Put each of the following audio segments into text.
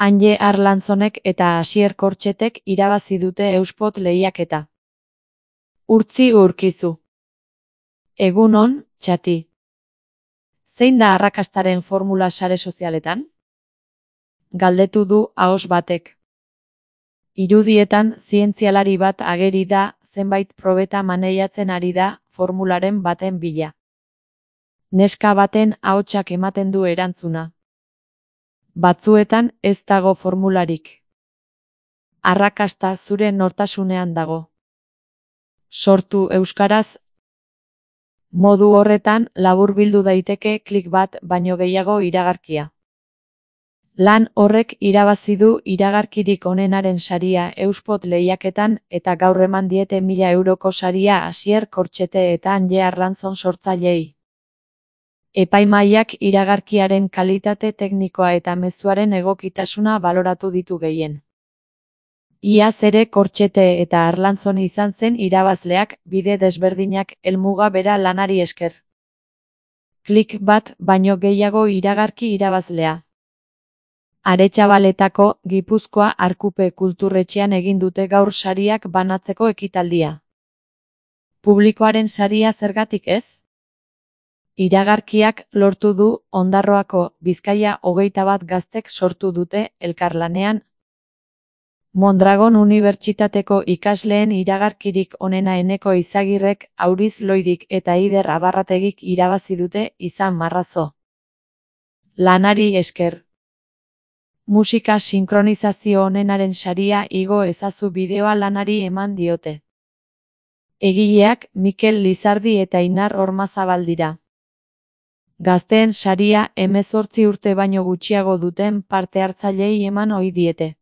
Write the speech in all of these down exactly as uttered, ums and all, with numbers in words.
Anje Arlantzonek eta Asier Kortxetek irabazi dute Euspot lehiaketa. Urtzi Urkizu. Egun on, txati. Zein da arrakastaren formula sare sozialetan? Galdetu du ahos batek. Irudietan zientzialari bat ageri da, zenbait probeta maneiatzen ari da, formularen baten bila. Neska baten ahotsak ematen du erantzuna. Batzuetan ez dago formularik. Arrakasta zure nortasunean dago. Sortu euskaraz. Modu horretan laburbildu daiteke klik bat baino gehiago iragarkia. Lan horrek irabazi du iragarkirik onenaren saria Euspot lehiaketan eta gaur eman diete mila euroko saria Asier Kortxete eta Anje Arlantzon sortzaileei. Epaimahaiak iragarkiaren kalitate teknikoa eta mezuaren egokitasuna baloratu ditu gehien. Iaz ere Kortxete eta Arlantzon izan zen irabazleak, bide desberdinak helmuga bera lanari esker. Klik bat baino gehiago iragarki irabazlea. Aretxabaletako Gipuzkoa Arkupe kulturretxean egin dute gaur sariak banatzeko ekitaldia. Publikoaren saria zergatik ez? Iragarkiak lortu du Ondarroako Bizkaia hogeita bat gaztek sortu dute elkarlanean. Mondragon Unibertsitateko ikasleen iragarkirik onena Eneko Izagirrek, Auriz Loidik eta Ider Abarrategik irabazi dute izan marrazo. Lanari esker. Musika sinkronizazio onenaren saria igo ezazu bideoa lanari eman diote. Egileak Mikel Lizardi eta Inar Ormazabal dira. Gazteen saria hemezortzi urte baino gutxiago duten parte hartzaileei eman ohi diete.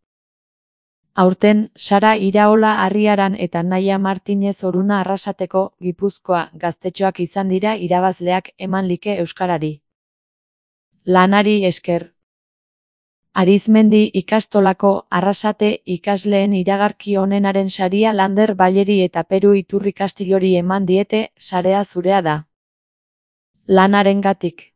Aurten, Sara Iraola Arriaran eta Naia Martinez Oruna Arrasateko Gipuzkoa gaztetxoak izan dira irabazleak eman like euskarari. Lanari esker. Arizmendi ikastolako Arrasate ikasleen iragarki onenaren saria Lander Baleri eta Peru Iturri Kastilori eman diete, sarea zurea da. Lanarengatik.